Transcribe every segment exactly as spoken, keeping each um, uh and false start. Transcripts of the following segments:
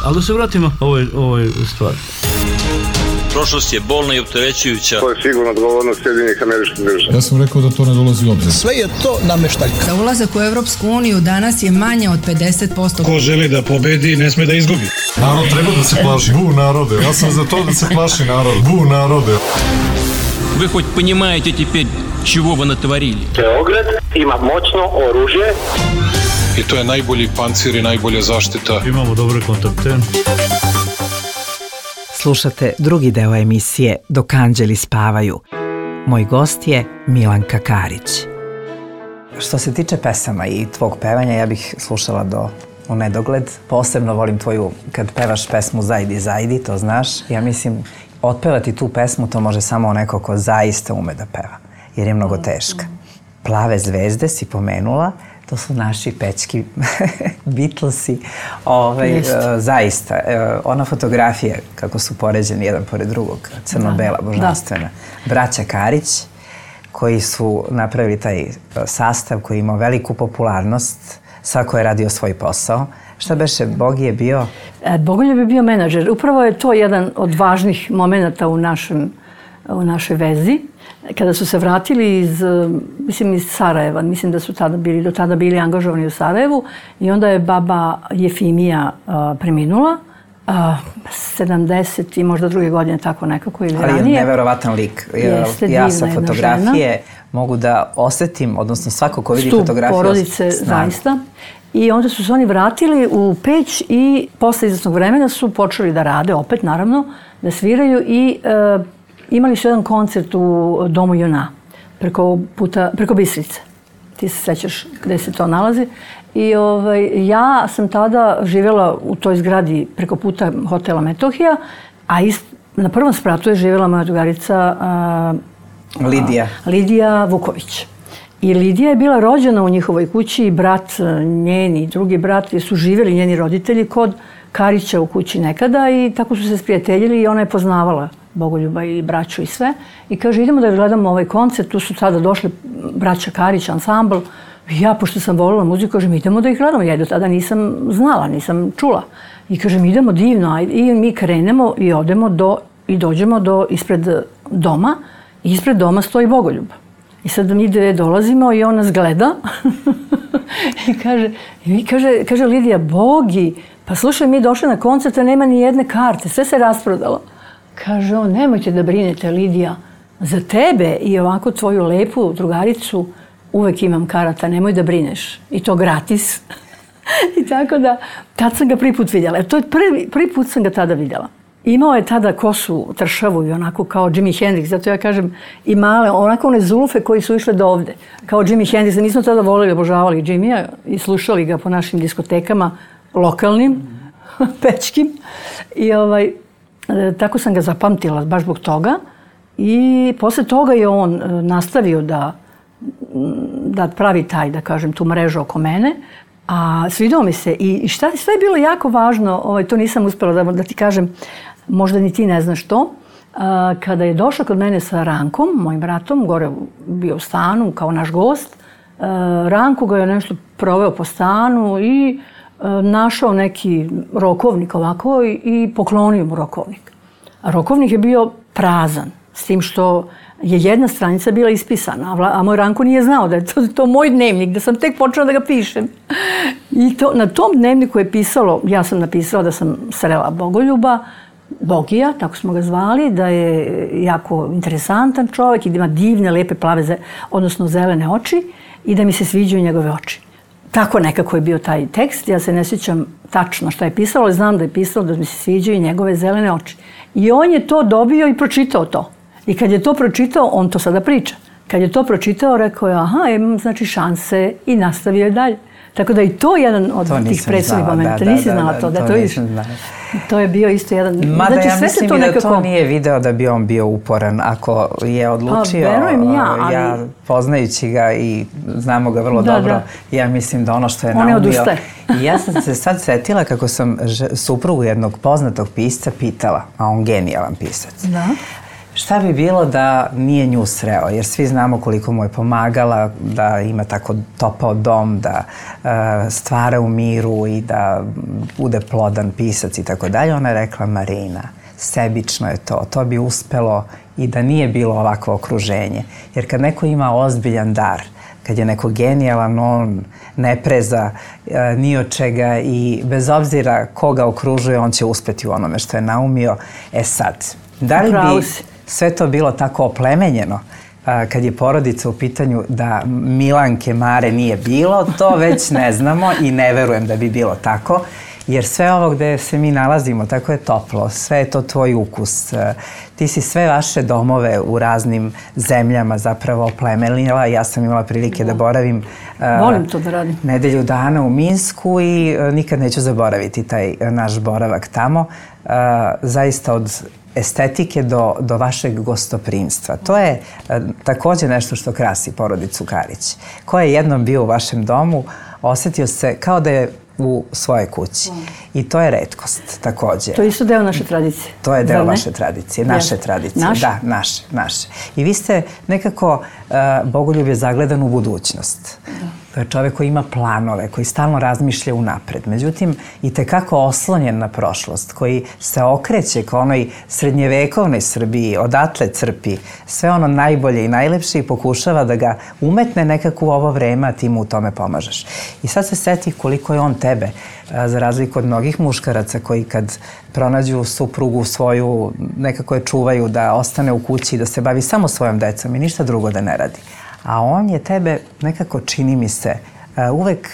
Ali da se vratimo ovoj, ovoj stvari. Prošlost je bolna i opterećujuća. To je sigurno odgovornost Sjedinjenih Američkih Država. Ja sam rekao da to ne dolazi u obzir. Sve je to nameštaljka. Za ulazak u Evropsku uniju danas je manje od pedeset posto. Ko želi da pobedi, ne sme da izgubi. Narod treba da se plaši. Bu narode. Ja sam za to da se plaši narod. Bu narode. Вы хоть понимаете теперь, чего вы натворили? Beograd ima moćno oružje. I to je najbolji pancir i najbolja zaštita. Imamo dobre kontakte. Slušate drugi deo emisije Dok anđeli spavaju. Moj gost je Milanka Karić. Što se tiče pesama i tvog pevanja, ja bih slušala do u nedogled. Posebno volim tvoju, kad pevaš pesmu Zajdi, zajdi, to znaš. Ja mislim, otpevati tu pesmu to može samo neko ko zaista ume da peva, jer je mnogo teška. Plave zvezde si pomenula, to su naši pečki Beatlesi. Ovaj, uh, zaista, uh, ona fotografija, kako su poređeni jedan pored drugog, crno-bela, božanstvena. Braća Karić, koji su napravili taj uh, sastav koji je imao veliku popularnost, svako je radio svoj posao. Šta beše, Bogi je bio? E, Bogoljub je bio menadžer. Upravo je to jedan od važnih momenata u, našem, u našoj vezi. Kada su se vratili iz, mislim, iz Sarajeva, mislim da su tada bili, do tada bili angažovani u Sarajevu, i onda je baba Jefimija uh, preminula. Uh, sedamdeset i možda druge godine, tako nekako, ili ranije. Ali je neverovatan lik. Jeste, ja sa fotografije mogu da osetim, odnosno svako ko vidi fotografiju... Stup porodice, zaista. I onda su se oni vratili u Peć i posle izvesnog vremena su počeli da rade, opet naravno, da sviraju i uh, imali su jedan koncert u Domu Juna, preko, puta, preko Bistrice. Ti se sećaš gde se to nalazi. I ovaj, ja sam tada živjela u toj zgradi preko puta hotela Metohija, a ist, na prvom spratu je živjela moja drugarica uh, Lidija. Uh, Lidija Vuković. I Lidija je bila rođena u njihovoj kući i brat njeni, drugi brat, jer su živjeli njeni roditelji kod Karića u kući nekada i tako su se sprijateljili i ona je poznavala Bogoljuba i braću i sve. I kaže, idemo da gledamo ovaj koncert, tu su tada došli braća Karić, ansambl. I ja, pošto sam volila muziku, kažem, idemo da ih gledamo. Ja do tada nisam znala, nisam čula. I kažem, idemo divno, ajde. I mi krenemo i odemo do, i dođemo do ispred doma. I ispred doma stoji Bogoljub. I sad mi dve dolazimo i on nas gleda. I kaže, i kaže, kaže Lidija, Bogi, pa slušaj, mi došli na koncert, a nema ni jedne karte, sve se rasprodalo. Kaže on, nemojte da brinete, Lidija, za tebe i ovako tvoju lepu drugaricu uvek imam karata, nemoj da brineš. I to gratis. I tako da, tad sam ga prvi put vidjela. To je prvi, prvi put sam ga tada vidjela. Imao je tada kosu tršavu i onako kao Jimi Hendrix, zato ja kažem i male, onako one zulfe koji su išle do ovde, kao Jimi Hendrix. Mi smo tada voleli, obožavali Jimija i slušali ga po našim diskotekama, lokalnim, pečkim. I ovaj, tako sam ga zapamtila baš zbog toga. I posle toga je on nastavio da, da pravi taj, da kažem, tu mrežu oko mene. A svidao mi se i šta sve je bilo jako važno, ovaj, to nisam uspjela da, da ti kažem, možda ni ti ne znaš to. A, kada je došao kod mene sa Rankom, mojim bratom, gore bio u stanu kao naš gost, a, Ranko ga je nešto proveo po stanu i a, našao neki rokovnik ovako i, i poklonio mu rokovnik. A rokovnik je bio prazan, s tim što je jedna stranica bila ispisana, a moj Ranko nije znao da je to, to moj dnevnik, da sam tek počela da ga pišem. I to, na tom dnevniku je pisalo, ja sam napisala da sam srela Bogoljuba, Bogija, tako smo ga zvali, da je jako interesantan čovjek i da ima divne, lepe, plave, odnosno zelene oči i da mi se sviđaju njegove oči. Tako nekako je bio taj tekst, ja se ne sjećam tačno šta je pisalo, ali znam da je pisalo da mi se sviđaju njegove zelene oči. I on je to dobio i pročitao to. I kad je to pročitao, on to sada priča. Kad je to pročitao, rekao je, aha, imam znači šanse i nastavio je dalje. Tako da i to je jedan od to tih presudnih momenta. Da, Nisi da, znala da, to, da, to, to vidiš. To je bio isto jedan... Mada znači, ja mislim to i nekako... da to nije video da bi on bio uporan. Ako je odlučio, a, verujem ja, ali... ja poznajući ga i znamo ga vrlo da, dobro, da. Ja mislim da ono što je on naumio... Je I ja sam se sad setila kako sam suprugu jednog poznatog pisca pitala, a on genijalan pisac. Da. Šta bi bilo da nije nju sreo? Jer svi znamo koliko mu je pomagala, da ima tako topao dom, da uh, stvara u miru i da bude plodan pisac i tako dalje. Ona je rekla, Marina, sebično je to. To bi uspelo i da nije bilo ovakvo okruženje. Jer kad neko ima ozbiljan dar, kad je neko genijalan, on ne preza e, ni od čega i bez obzira koga okružuje, on će uspeti u onome što je naumio. E sad, da li bi sve to bilo tako oplemenjeno a, kad je porodica u pitanju da Milanke Mare nije bilo, to već ne znamo i ne verujem da bi bilo tako. Jer sve ovo gde se mi nalazimo, tako je toplo, sve je to tvoj ukus. Ti si sve vaše domove u raznim zemljama zapravo oplemenila. Ja sam imala prilike da, da boravim Volim to da radim. nedelju dana u Minsku i nikad neću zaboraviti taj naš boravak tamo. Zaista od estetike do, do vašeg gostoprimstva. To je takođe nešto što krasi porodicu Karić. Ko je jednom bio u vašem domu, osetio se kao da je u svojoj kući. I to je retkost takođe. To je isto deo naše tradicije. To je deo vaše tradicije, naše Yes. tradicije. Naše? Da, naše, naše. I vi ste nekako uh, bogoljub je zagledan u budućnost. To je čovek koji ima planove, koji stalno razmišlja unapred. Međutim, i tekako oslonjen na prošlost, koji se okreće ka onoj srednjevekovnoj Srbiji, odatle crpi sve ono najbolje i najlepše i pokušava da ga umetne nekako u ovo vreme, a ti mu u tome pomažeš. I sad se seti koliko je on tebe, za razliku od mnogih muškaraca koji kad pronađu suprugu svoju, nekako je čuvaju da ostane u kući i da se bavi samo svojom decom i ništa drugo da ne radi. A on je tebe nekako, čini mi se, uvek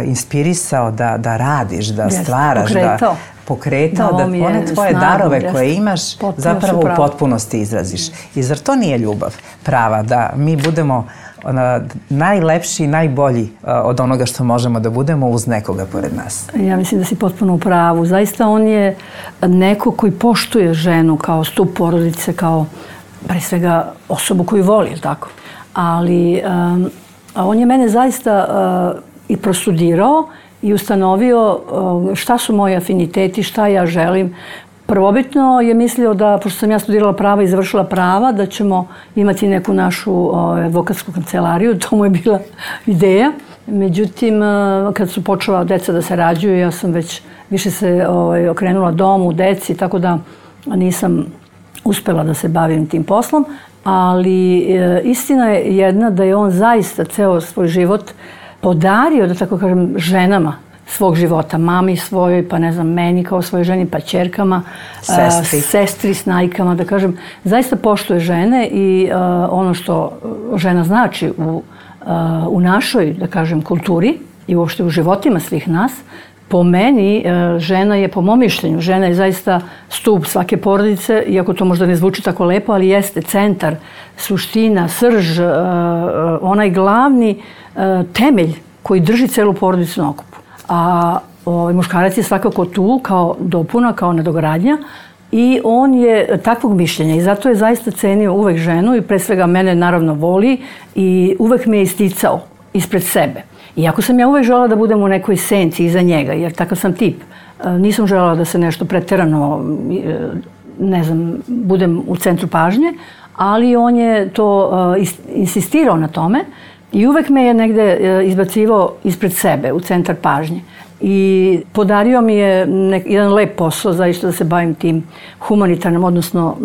inspirisao da, da radiš, da Yes, stvaraš, pokretao. da pokretao, da, da one tvoje snagu, darove jest, koje imaš potpuno zapravo u potpunosti izraziš. I zar to nije ljubav prava, da mi budemo ona, najlepši i najbolji od onoga što možemo da budemo uz nekoga pored nas? Ja mislim da si potpuno u pravu. Zaista on je neko koji poštuje ženu kao stup porodice, kao pre svega osobu koju voli, tako? Ali um, on je mene zaista uh, i prostudirao i ustanovio uh, šta su moji afiniteti, šta ja želim. Prvobitno je mislio da, pošto sam ja studirala prava i završila prava, da ćemo imati neku našu uh, advokatsku kancelariju. To mu je bila ideja. Međutim, uh, kad su počela deca da se rađuju, ja sam već više se uh, okrenula domu, deci, tako da nisam uspela da se bavim tim poslom. Ali e, istina je jedna da je on zaista ceo svoj život podario, da tako kažem, ženama svog života. Mami svojoj, pa ne znam, meni kao svojoj ženi, pa ćerkama, sestri, a, sestri snajkama, da kažem. Zaista poštuje žene i a, ono što žena znači u, a, u našoj, da kažem, kulturi i uopšte u životima svih nas. Po meni, žena je, po mom mišljenju, žena je zaista stup svake porodice, iako to možda ne zvuči tako lepo, ali jeste centar, suština, srž, onaj glavni temelj koji drži celu porodicu na okupu. A ovaj, muškarac je svakako tu kao dopuna, kao nadogradnja i on je takvog mišljenja i zato je zaista cenio uvek ženu i pre svega mene naravno voli i uvek me je isticao ispred sebe. Iako sam ja uvek želela da budem u nekoj senci iza njega, jer takav sam tip. Nisam želela da se nešto preterano, ne znam, budem u centru pažnje, ali on je to insistirao na tome i uvek me je negde izbacivao ispred sebe, u centar pažnje. I podario mi je nek, jedan lep posao, zaista da se bavim tim humanitarnim, odnosno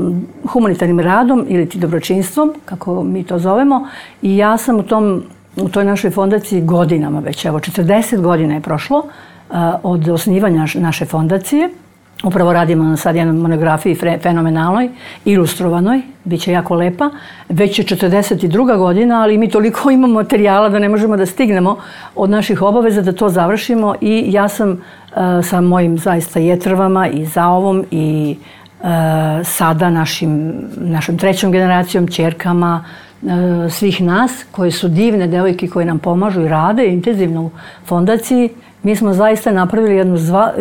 humanitarnim radom ili ti dobročinstvom, kako mi to zovemo. I ja sam u tom u toj našoj fondaciji godinama već, evo četrdeset godina je prošlo uh, od osnivanja naše fondacije. Upravo radimo na sad jednoj monografiji fenomenalnoj, ilustrovanoj, bit će jako lepa. Već je četrdeset druga godina, ali mi toliko imamo materijala da ne možemo da stignemo od naših obaveza da to završimo i ja sam uh, sa mojim zaista jetrvama i zaovom i uh, sada našim, našom trećom generacijom, ćerkama, svih nas koje su divne devojke koje nam pomažu i rade intenzivno u fondaciji. Mi smo zaista napravili jednu zva,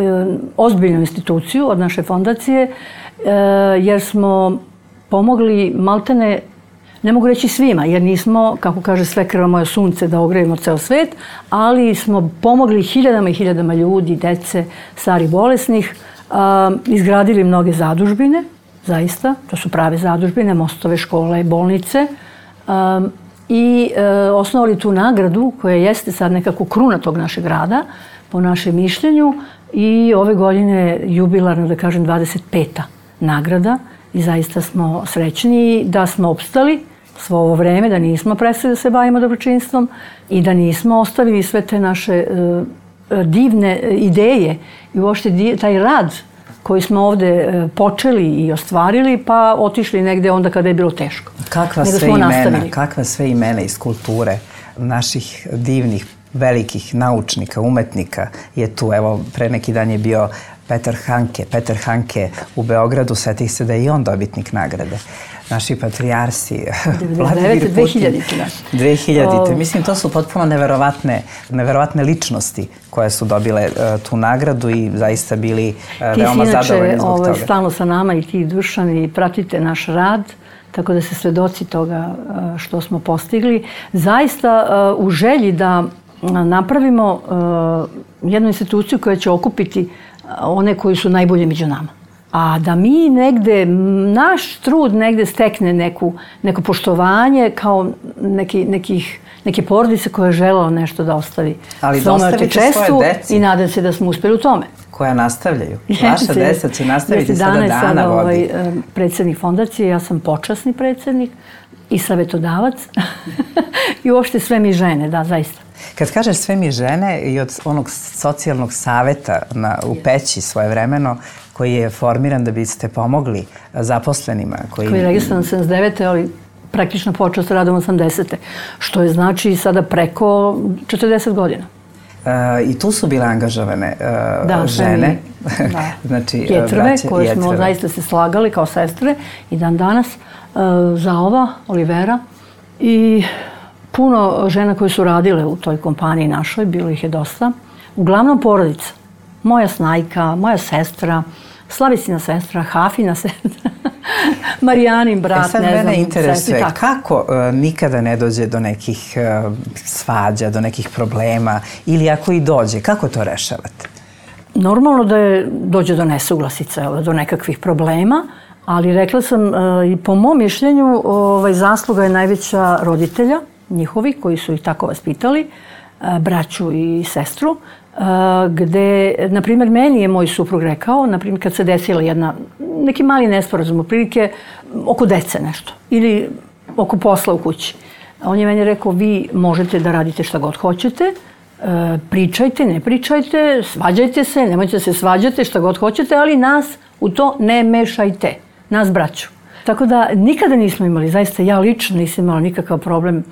ozbiljnu instituciju od naše fondacije jer smo pomogli maltene, ne mogu reći svima jer nismo, kako kaže sve krva moje sunce, da ogrejemo ceo svet, ali smo pomogli hiljadama i hiljadama ljudi, dece, stari bolesnih, izgradili mnoge zadužbine zaista. To su prave zadužbine, mostove, škole, bolnice. Um, I e, osnovali tu nagradu koja jeste sad nekako kruna tog našeg rada, po našem mišljenju. I ove godine jubilarno, da kažem, dvadeset peta nagrada. I zaista smo srećni da smo opstali svo ovo vreme, da nismo prestali da se bavimo dobročinstvom i da nismo ostavili sve te naše e, divne ideje i uopšte taj rad koji smo ovde počeli i ostvarili, pa otišli negde onda kada je bilo teško. Kakva sve imena, kakva sve imena iz kulture naših divnih, velikih naučnika, umetnika je tu. Evo, pre neki dan je bio Petar Hanke. Petar Hanke u Beogradu, setih se da je i on dobitnik nagrade. Naši patrijarsi, devedeset devete. dve hiljadite. dve hiljadite. Mislim, to su potpuno neverovatne, neverovatne ličnosti koje su dobile uh, tu nagradu i zaista bili uh, veoma zadovoljni zbog toga. Ti si inače stalno sa nama i ti, Dušan, i pratite naš rad, tako da se svedoci toga uh, što smo postigli. Zaista uh, u želji da napravimo uh, jednu instituciju koja će okupiti one koji su najbolji među nama. A da mi negde, naš trud negde stekne neku, neko poštovanje kao neki, nekih, neke porodice koja je želala nešto da ostavi. Ali da ostavite svoje deci. I nadam se da smo uspeli u tome. Koja nastavljaju. Vaša deca će nastaviti sada Dana vodi. Dana je sada ovaj, predsjednik fondacije, ja sam počasni predsjednik i savetodavac. I uopšte sve mi žene, da, zaista. Kad kažeš sve mi žene i od onog socijalnog saveta na, u Peći svojevremeno, koji je formiran da biste pomogli zaposlenima. Koji, koji je registrovan sedamdeset devete. ali praktično počeo s radom osamdesete. Što je znači sada preko četrdeset godina. E, I tu su bile angažovane e, da, žene. Da. Znači, jetrve, braće, koje jetrve. smo zaista se slagali kao sestre i dan danas. E, Zaova, Olivera i puno žena koje su radile u toj kompaniji našoj, bilo ih je dosta. Uglavnom porodica. Moja snajka, moja sestra, Slavisina sestra, Hafina sestra, Marijanin brat, e sad ne znam. Mene interesuje sestri, kako uh, nikada ne dođe do nekih uh, svađa, do nekih problema ili ako i dođe, kako to rešavate? Normalno da je, dođe do nesuglasica, do nekakvih problema, ali rekla sam uh, i po mom mišljenju ovaj, zasluga je najveća roditelja njihovi koji su ih tako vaspitali, uh, braću i sestru. Uh, gde, na primjer, meni je moj suprug rekao, na primjer, kad se desila jedna, neki mali nesporazum, otprilike oko dece nešto ili oko posla u kući. On je meni rekao, vi možete da radite šta god hoćete, uh, pričajte, ne pričajte, svađajte se, nemojte da se svađate, šta god hoćete, ali nas u to ne mešajte, nas braću. Tako da nikada nismo imali, zaista ja lično nisam imala nikakav problem.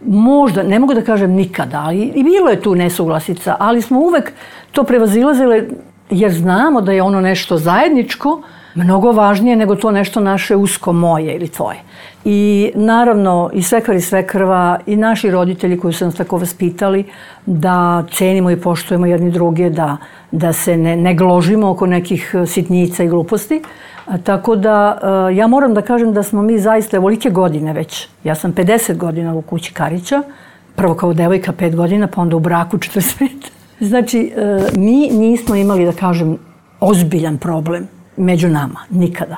Možda, ne mogu da kažem nikada, ali i bilo je tu nesuglasica, ali smo uvek to prevazilazile jer znamo da je ono nešto zajedničko mnogo važnije nego to nešto naše usko moje ili tvoje. I naravno i svekar i svekrva i naši roditelji koji su nas tako vaspitali da cenimo i poštujemo jedni druge, da, da se ne, ne gložimo oko nekih sitnica i gluposti. A, tako da ja moram da kažem da smo mi zaista evolike godine već. Ja sam pedeset godina u kući Karića, prvo kao devojka pet godina, pa onda u braku četrdeset pet. Znači, mi nismo imali, da kažem, ozbiljan problem među nama, nikada.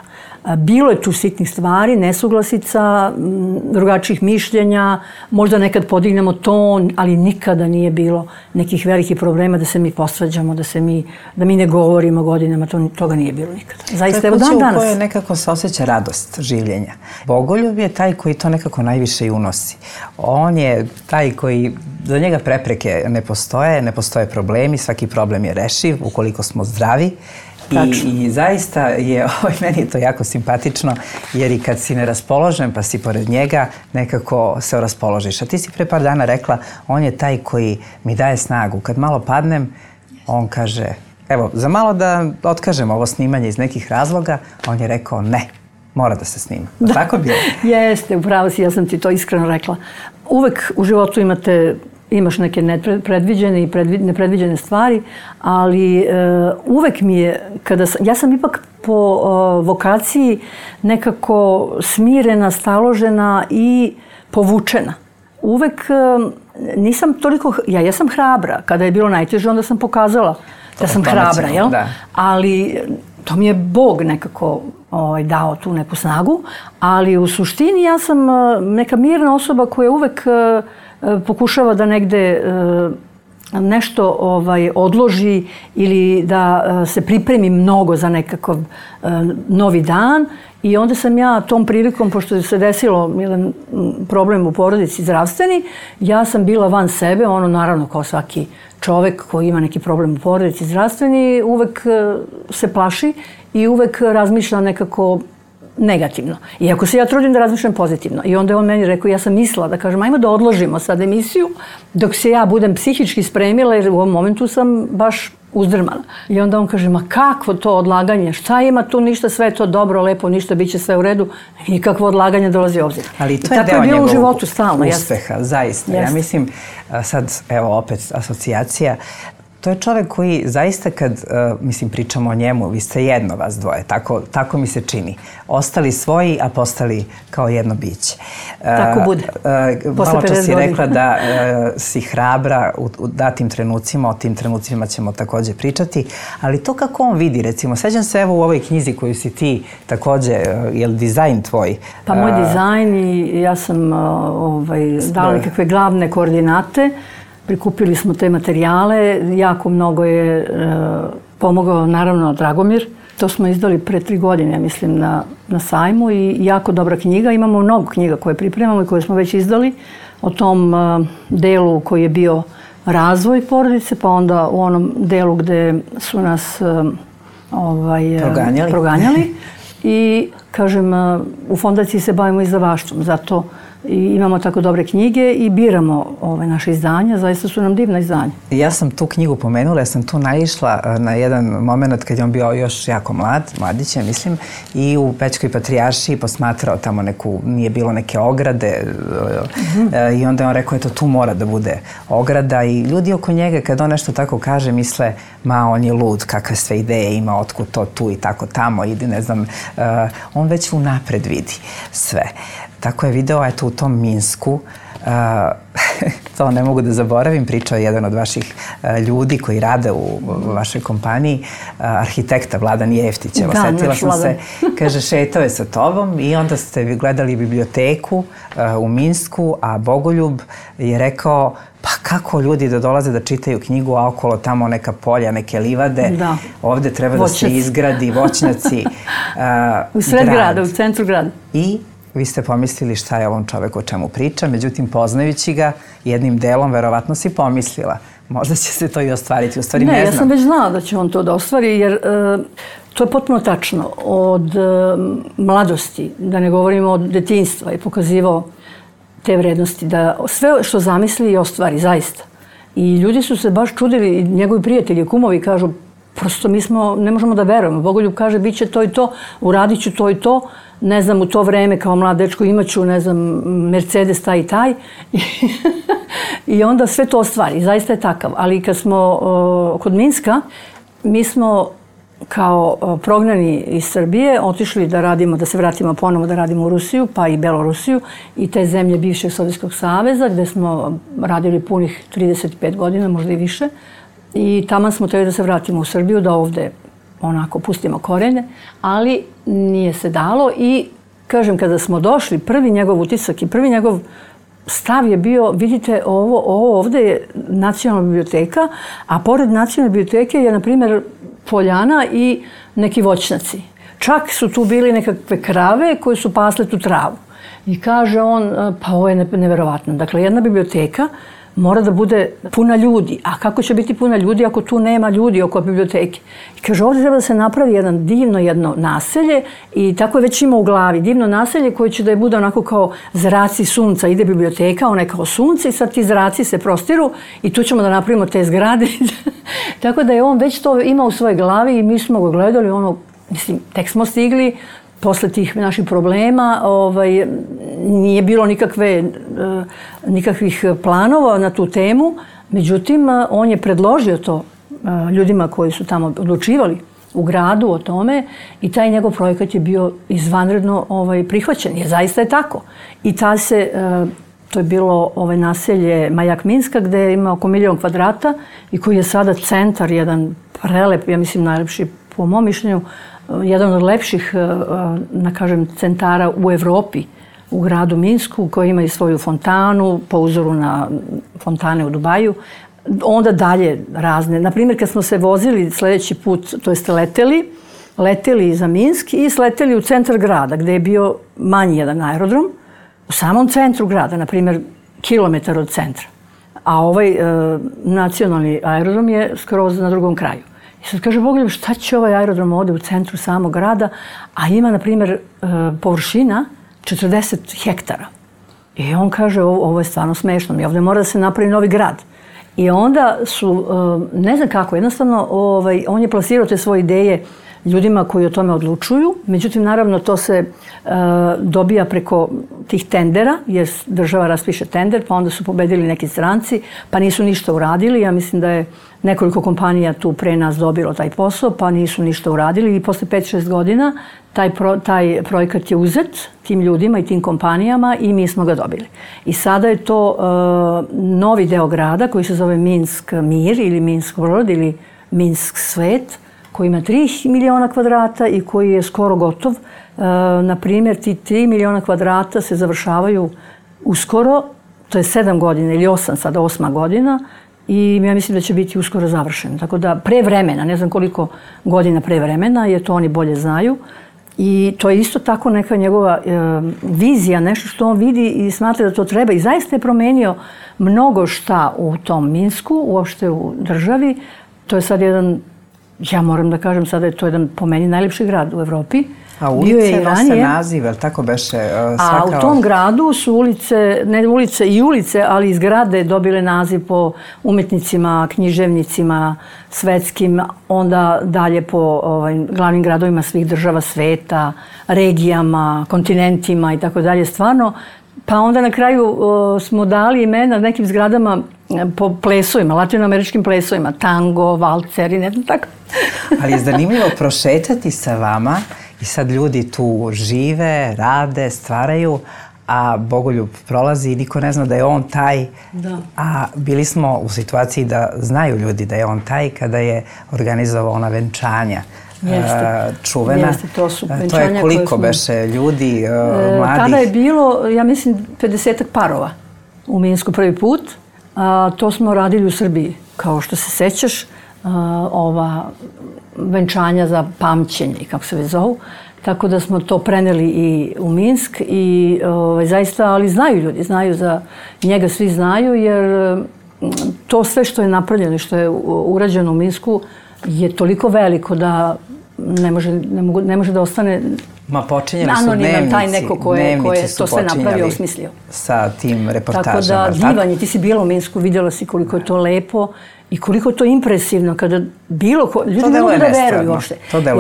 Bilo je tu sitnih stvari, nesuglasica, drugačijih mišljenja, možda nekad podignemo ton, ali nikada nije bilo nekih velikih problema da se mi posvađamo, da se mi, da mi ne govorimo godinama, to, toga nije bilo nikada. Zaista, evo dan danas. U kojoj nekako se osjeća radost življenja. Bogoljub je taj koji to nekako najviše i unosi. On je taj koji, za njega prepreke ne postoje, ne postoje problemi, svaki problem je rešiv ukoliko smo zdravi. I, I zaista je, ovaj, meni je to jako simpatično, jer i kad si neraspoložen pa si pored njega, nekako se raspoložiš. A ti si pre par dana rekla, on je taj koji mi daje snagu. Kad malo padnem, on kaže, evo, za malo da otkažem ovo snimanje iz nekih razloga, on je rekao ne, mora da se snima. Da. Tako bilo? Jeste, upravo si, ja sam ti to iskreno rekla. Uvek u životu imate imaš neke nepredviđene i nepredviđene stvari, ali uh, uvek mi je, kada sam, ja sam ipak po uh, vokaciji nekako smirena, staložena i povučena. Uvek uh, nisam toliko, ja jesam hrabra. Kada je bilo najteže, onda sam pokazala da sam hrabra, jel? Da. Ali to mi je Bog nekako ovaj, dao tu neku snagu, ali u suštini ja sam neka mirna osoba koja uvek pokušava da negde nešto ovaj, odloži ili da se pripremi mnogo za nekakav novi dan. I onda sam ja tom prilikom, pošto se desilo jedan problem u porodici zdravstveni, ja sam bila van sebe, ono naravno kao svaki čovek koji ima neki problem u porodici zdravstveni, uvek se plaši i uvek razmišlja nekako negativno. Iako se ja trudim da razmišljam pozitivno. I onda je on meni rekao, ja sam mislila da kažem, ajmo da odložimo sad emisiju dok se ja budem psihički spremila, jer u ovom momentu sam baš uzdrmana. I onda on kaže, ma kakvo to odlaganje, šta ima tu, ništa, sve je to dobro, lepo, ništa, bit će sve u redu, nikakvo odlaganje dolazi u obzir. Ali to je deo njegovog u životu stalno, uspeha, zaista. Ja mislim, sad, evo opet asocijacija, to je čovek koji zaista kad, uh, mislim, pričamo o njemu, vi ste jedno vas dvoje, tako, tako mi se čini. Ostali svoji, a postali kao jedno biće. Uh, tako bude. Uh, malo čas si rekla da uh, si hrabra u, u datim trenucima, o tim trenucima ćemo takođe pričati, ali to kako on vidi, recimo, sećam se evo u ovoj knjizi koju si ti takođe, uh, je li dizajn tvoj? Pa moj dizajn i ja sam uh, ovaj, dala nekakve glavne koordinate. Prikupili smo te materijale, jako mnogo je e, pomogao naravno Dragomir. To smo izdali pre tri godine, ja mislim, na, na sajmu i jako dobra knjiga. Imamo mnogo knjiga koje pripremamo i koje smo već izdali o tom e, delu koji je bio razvoj porodice, pa onda u onom delu gde su nas e, ovaj, proganjali. proganjali. I, kažem, u fondaciji se bavimo izdavaštvom, zato i imamo tako dobre knjige i biramo ove naše izdanja, zaista su nam divna izdanja. Ja sam tu knjigu pomenula, ja sam tu naišla na jedan moment kad je on bio još jako mlad, mladić je, mislim, i u Pećkoj patrijaršiji posmatrao tamo neku, nije bilo neke ograde mm-hmm. i onda je on rekao, eto, tu mora da bude ograda i ljudi oko njega kad on nešto tako kaže misle, ma on je lud, kakve sve ideje ima, otkud to tu i tako tamo, idi, ne znam, uh, on već unapred vidi sve. Tako je video, eto, u tom Minsku, uh, to ne mogu da zaboravim, pričao je jedan od vaših uh, ljudi koji rade u, u vašoj kompaniji, uh, arhitekta Vladan Jeftić. Evo, setila sam se, kaže, šetao je sa tobom i onda ste vi gledali biblioteku uh, u Minsku, a Bogoljub je rekao, pa kako ljudi da dolaze da čitaju knjigu, a okolo tamo neka polja, neke livade, da. Ovde treba Voćnac. Da se izgradi voćnjaci. Uh, u sred grad. grada, u centru grada. I vi ste pomislili šta je ovom čoveku o čemu priča, međutim, poznajući ga, jednim delom verovatno si pomislila. Možda će se to i ostvariti, u stvari ne, ne znam. Ne, ja sam već znala da će on to da ostvari, jer e, to je potpuno tačno. Od e, mladosti, da ne govorimo od detinjstva, je pokazivao te vrednosti, da sve što zamisli i ostvari, zaista. I ljudi su se baš čudili, njegovi prijatelji, kumovi kažu, prosto mi smo, ne možemo da verujemo. Bogoljub kaže, bit će to i to, uradit ću to i to. Ne znam, u to vreme kao mlad dečko imaću, ne znam, Mercedes taj i taj. I onda sve to ostvari. Zaista je takav. Ali kad smo uh, kod Minska, mi smo kao uh, prognani iz Srbije otišli da radimo, da se vratimo ponovo da radimo u Rusiju, pa i Belorusiju i te zemlje bivšeg Sovjetskog saveza, gde smo radili punih trideset pet godina, možda i više. I tamo smo trebali da se vratimo u Srbiju, da ovde onako pustimo korene, ali nije se dalo i, kažem, kada smo došli, prvi njegov utisak i prvi njegov stav je bio, vidite, ovo, ovo ovde je nacionalna biblioteka, a pored nacionalne biblioteke je, na primjer, poljana i neki voćnjaci. Čak su tu bili nekakve krave koje su pasle tu travu. I kaže on, pa ovo je neverovatno. Dakle, jedna biblioteka mora da bude puna ljudi. A kako će biti puna ljudi ako tu nema ljudi oko biblioteke? I kaže, ovdje treba da se napravi jedan divno jedno naselje i tako je već ima u glavi. Divno naselje koje će da je bude onako kao zraci sunca. Ide biblioteka, ona je kao sunce i sad ti zraci se prostiru i tu ćemo da napravimo te zgrade. Tako da je on već to imao u svojoj glavi i mi smo ga gledali, ono, mislim, tek smo stigli. Posle tih naših problema ovaj, nije bilo nikakve, nikakvih planova na tu temu. Međutim, on je predložio to ljudima koji su tamo odlučivali u gradu o tome i taj njegov projekat je bio izvanredno ovaj, prihvaćen. Je, zaista je tako. I ta se to je bilo ovaj naselje Majak Minska gde ima oko milion kvadrata i koji je sada centar, jedan prelep, ja mislim najlepši po mom mišljenju, jedan od lepših, da kažem, centara u Evropi, u gradu Minsku, koji ima i svoju fontanu po uzoru na fontane u Dubaju. Onda dalje razne. Naprimjer, kad smo se vozili sledeći put, to jeste leteli, leteli za Minsk i sleteli u centar grada, gde je bio manji jedan aerodrom, u samom centru grada, na primjer, kilometar od centra. A ovaj e, nacionalni aerodrom je skroz na drugom kraju. I sad kaže Bogoljub, šta će ovaj aerodrom ovde u centru samog grada, a ima, na primjer, e, površina četrdeset hektara. I on kaže, ovo, ovo je stvarno smešno, mi ovde mora da se napravi novi grad. I onda su, e, ne znam kako, jednostavno, ovaj, on je plasirao te svoje ideje ljudima koji o tome odlučuju. Međutim, naravno, to se e, dobija preko tih tendera, jer država raspiše tender, pa onda su pobedili neki stranci, pa nisu ništa uradili. Ja mislim da je nekoliko kompanija tu pre nas dobilo taj posao, pa nisu ništa uradili i posle pet šest godina taj, pro, taj projekat je uzet tim ljudima i tim kompanijama i mi smo ga dobili. I sada je to e, novi deo grada koji se zove Minsk Mir ili Minsk World ili Minsk Svet, koji ima tri miliona kvadrata i koji je skoro gotov. E, na primjer, ti tri miliona kvadrata se završavaju uskoro, to je sedam godina ili osam, sada osma godina, i ja mislim da će biti uskoro završen. Tako da pre vremena, ne znam koliko godina pre vremena, jer to oni bolje znaju. I to je isto tako neka njegova e, vizija, nešto što on vidi i smatra da to treba. I zaista je promenio mnogo šta u tom Minsku, uopšte u državi. To je sad jedan, ja moram da kažem, sada je to jedan po meni najlepši grad u Evropi. A ulice nose naziv, ali tako beše svaka... A u tom gradu su ulice, ne ulice i ulice, ali i zgrade dobile naziv po umetnicima, književnicima, svetskim, onda dalje po ovaj, glavnim gradovima svih država sveta, regijama, kontinentima i tako dalje. Stvarno, pa onda na kraju o, smo dali imena nekim zgradama po plesovima, latinoameričkim plesovima, tango, valcer i ne znam tako. Ali je zanimljivo prošetati sa vama i sad ljudi tu žive, rade, stvaraju, a Bogoljub prolazi i niko ne zna da je on taj. Da. A bili smo u situaciji da znaju ljudi da je on taj kada je organizovao ona venčanja. Jeste. Čuvena. Jeste, to su venčanja. To je koliko smo... beše ljudi, e, mladih? Tada je bilo, ja mislim, pedesetak parova u Minsku prvi put. A, to smo radili u Srbiji, kao što se sećaš, a, ova venčanja za pamćenje, kako se već zovu. Tako da smo to preneli i u Minsk i ovaj, zaista, ali znaju ljudi, znaju za njega, svi znaju, jer to sve što je napravljeno i što je urađeno u Minsku je toliko veliko da ne može, ne mogu, ne može da ostane Ma počinjali su dnevnici, taj neko ko je, ko je to sve napravio, osmislio. Sa tim reportažama. Tako da divan je, ti si bila u Minsku, vidjela si koliko je to lepo i koliko je to impresivno kada bilo ko, ljudi ne mogu da veruju uopšte.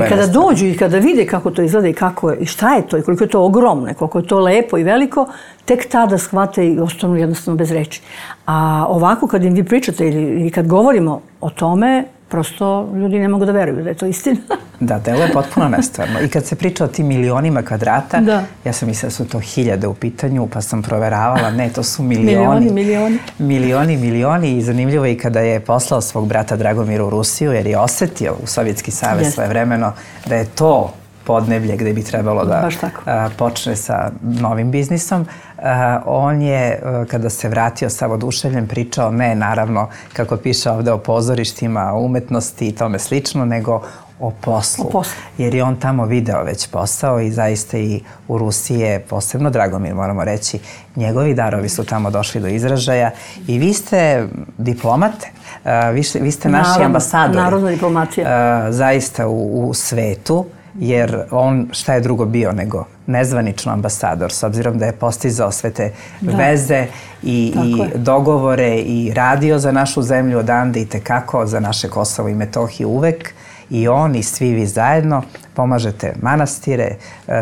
I kada dođu i kada vide kako to izgleda i kako je, i šta je to i koliko je to ogromno, koliko je to lepo i veliko, tek tada shvate i ostanu jednostavno bez reči. A ovako kad im vi pričate ili, ili kad govorimo o tome, prosto ljudi ne mogu da veruju da je to istina. Da, delo je potpuno nestvarno. I kad se priča o tim milionima kvadrata, da. Ja sam mislila da su to hiljade u pitanju, pa sam proveravala, ne, to su milioni. Milioni, milioni. Milioni, milioni i zanimljivo je i kada je poslao svog brata Dragomira u Rusiju, jer je osetio u Sovjetski savez yes. svojevremeno da je to podneblje gde bi trebalo da a, počne sa novim biznisom. A, on je, a, kada se vratio sav oduševljen, pričao ne, naravno, kako piše ovde o pozorištima, o umetnosti i tome slično, nego o poslu. O poslu. Jer je on tamo video već posao i zaista i u Rusiji je posebno Dragomir, moramo reći, njegovi darovi su tamo došli do izražaja i vi ste diplomate, a, vi, vi ste naši Naravno, ambasadori. Narodna diplomacija. A, zaista u, u svetu. Jer on šta je drugo bio nego nezvanično ambasador, s obzirom da je postizao sve te da. veze i, i dogovore i radio za našu zemlju odande i tekako za naše Kosovo i Metohiju uvek. I on i svi vi zajedno pomažete manastire,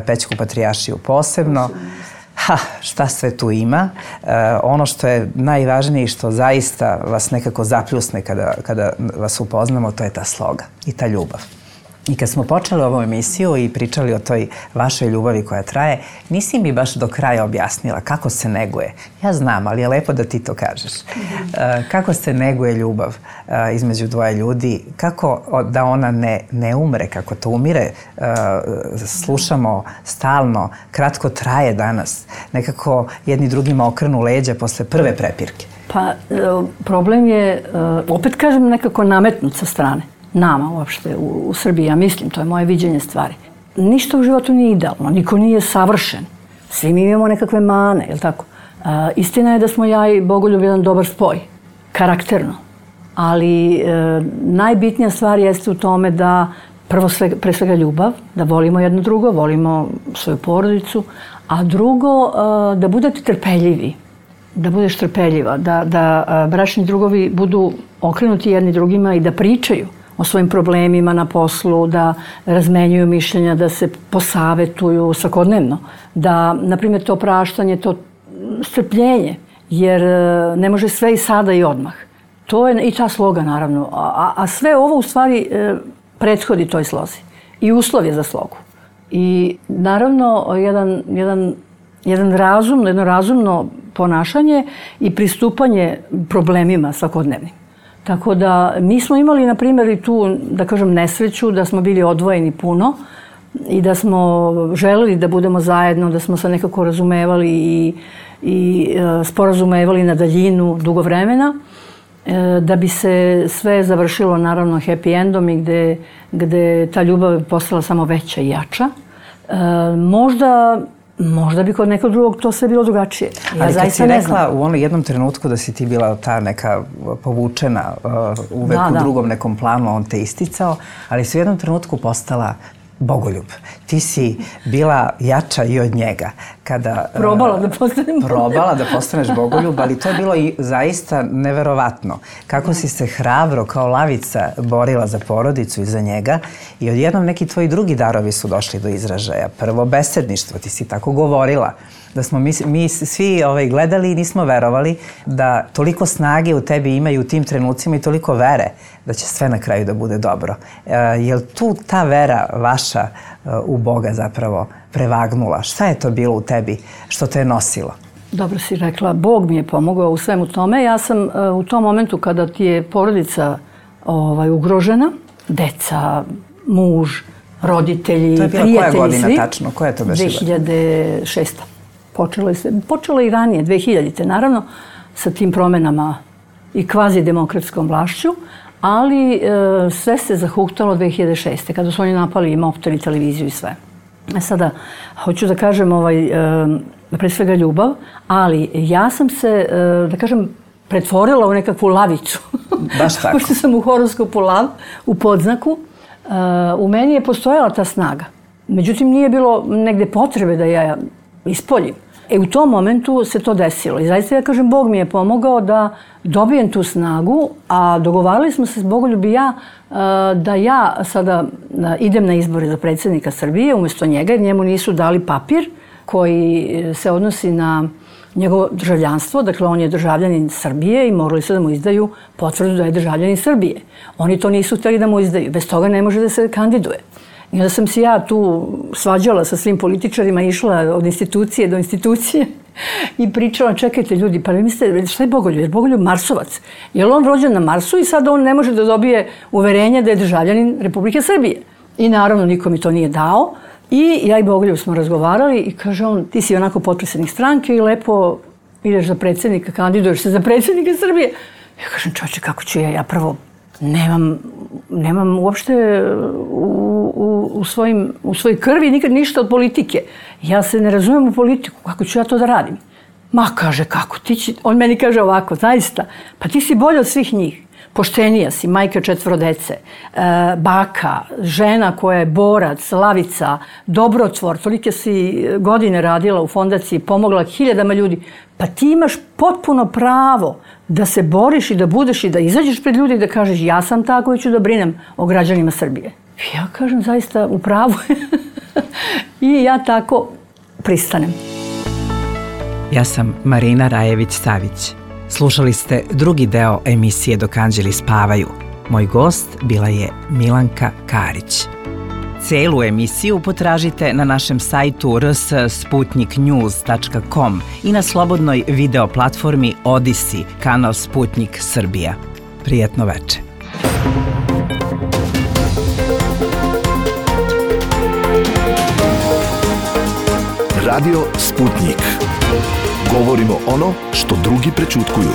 Pećku patrijaršiju posebno. Ha, šta sve tu ima. E, ono što je najvažnije i što zaista vas nekako zapljusne kada, kada vas upoznamo, to je ta sloga i ta ljubav. I kad smo počeli ovu emisiju i pričali o toj vašoj ljubavi koja traje, nisi mi baš do kraja objasnila kako se neguje. Ja znam, ali je lepo da ti to kažeš. Kako se neguje ljubav između dvoje ljudi, kako da ona ne, ne umre, kako to umire, slušamo stalno, kratko traje danas. Nekako jedni drugima okrenu leđa posle prve prepirke. Pa problem je, opet kažem, nekako nametnut sa strane. Nama uopšte u, u Srbiji, ja mislim, to je moje viđenje stvari. Ništa u životu nije idealno, niko nije savršen. Svi mi imamo nekakve mane, je li tako? A, istina je da smo ja i Bogoljub jedan dobar spoj, karakterno. Ali e, najbitnija stvar jeste u tome da prvo sve, pre svega ljubav, da volimo jedno drugo, volimo svoju porodicu, a drugo e, da budete trpeljivi, da budeš trpeljiva, da, da e, bračni drugovi budu okrenuti jedni drugima i da pričaju o svojim problemima na poslu, da razmenjuju mišljenja, da se posavetuju svakodnevno, da, na primjer, to praštanje, to strpljenje, jer ne može sve i sada i odmah. To je i ta sloga, naravno, a, a sve ovo u stvari prethodi toj slozi i uslov je za slogu. I naravno, jedan, jedan, jedan razumno, jedno razumno ponašanje i pristupanje problemima svakodnevnim. Tako da mi smo imali, na primjer, i tu, da kažem, nesreću, da smo bili odvojeni puno i da smo želeli da budemo zajedno, da smo se nekako razumevali i, i e, sporazumevali na daljinu dugo vremena, e, da bi se sve završilo, naravno, happy endom i gde, gde ta ljubav je postala samo veća i jača. E, možda... Možda bi kod nekog drugog to sve bilo drugačije. Ja ali kad si ne rekla znam. u onom jednom trenutku da si ti bila ta neka povučena, uh, uvek da, u da. drugom nekom planu, on te isticao, ali si u jednom trenutku postala Bogoljub. Ti si bila jača i od njega. Kada, probala da postanem Probala da postaneš Bogoljub, ali to je bilo i zaista neverovatno. Kako si se hrabro kao lavica borila za porodicu i za njega i odjednom neki tvoji drugi darovi su došli do izražaja. Prvo, besedništvo, ti si tako govorila. Da smo mi, mi svi ovaj, gledali i nismo verovali da toliko snage u tebi imaju u tim trenucima i toliko vere da će sve na kraju da bude dobro. E, je li tu ta vera vaša uh, u Boga zapravo prevagnula? Šta je to bilo u tebi što te je nosilo? Dobro si rekla, Bog mi je pomogao u svemu tome. Ja sam uh, u tom momentu kada ti je porodica ovaj, ugrožena, deca, muž, roditelji, to je bila prijatelji, koja godina svi, tačno? Koja je to beše? dve hiljade šesta. Počelo je, se, počelo je i ranije, dve hiljadite naravno, sa tim promenama i kvazi demokratskom vlašću, ali e, sve se zahuktalo dve hiljade šeste. kada su oni napali i Mobtel i televiziju i sve. E sada, hoću da kažem, ovaj, e, pre svega ljubav, ali ja sam se, e, da kažem, pretvorila u nekakvu lavicu. Baš tako. Pošto sam u horoskopu lav, u podznaku, e, u meni je postojala ta snaga. Međutim, nije bilo negde potrebe da ja ispoljim. E, u tom momentu se to desilo. I zaista ja kažem, Bog mi je pomogao da dobijem tu snagu, a dogovarali smo se s Bogoljub i ja da ja sada idem na izbore za predsjednika Srbije umjesto njega, jer njemu nisu dali papir koji se odnosi na njegovo državljanstvo. Dakle, on je državljanin Srbije i morali su da mu izdaju potvrdu da je državljanin Srbije. Oni to nisu htjeli da mu izdaju. Bez toga ne može da se kandiduje. I onda sam se ja tu svađala sa svim političarima, išla od institucije do institucije i pričala, čekajte ljudi, pa vi mislite, šta je Bogoljub? Jer Bogoljub Marsovac. Je li on rođen na Marsu i sad on ne može da dobije uverenje da je državljanin Republike Srbije? I naravno niko mi to nije dao. I ja i Bogoljub smo razgovarali i kaže on, ti si onako potpredsjednik stranke i lepo ideš za predsjednika, kandiduješ se za predsjednika Srbije. Ja kažem, čovječe, kako ću ja, ja prvo nemam, nemam uopšte u, u, u, svojim, u svojoj krvi nikad ništa od politike. Ja se ne razumijem u politiku, kako ću ja to da radim? Ma, kaže, kako ti će, on meni kaže ovako, zaista, pa ti si bolje od svih njih. Poštenija si, majka četvoro dece, e, baka, žena koja je borac, lavica, dobrotvor, tolike si godine radila u fondaciji, pomogla hiljadama ljudi. Pa ti imaš potpuno pravo da se boriš i da budeš i da izađeš pred ljudi i da kažeš ja sam ta koja ću da brinem o građanima Srbije. Ja kažem zaista u pravu. I ja tako pristanem. Ja sam Marina Rajević-Savić. Slušali ste drugi deo emisije Dok anđeli spavaju. Moj gost bila je Milanka Karić. Celu emisiju potražite na našem sajtu r s sputnik news tačka com i na slobodnoj video platformi Odisi, kanal Sputnik Srbija. Prijetno veče. Radio Sputnik. Govorimo ono što drugi prećutkuju.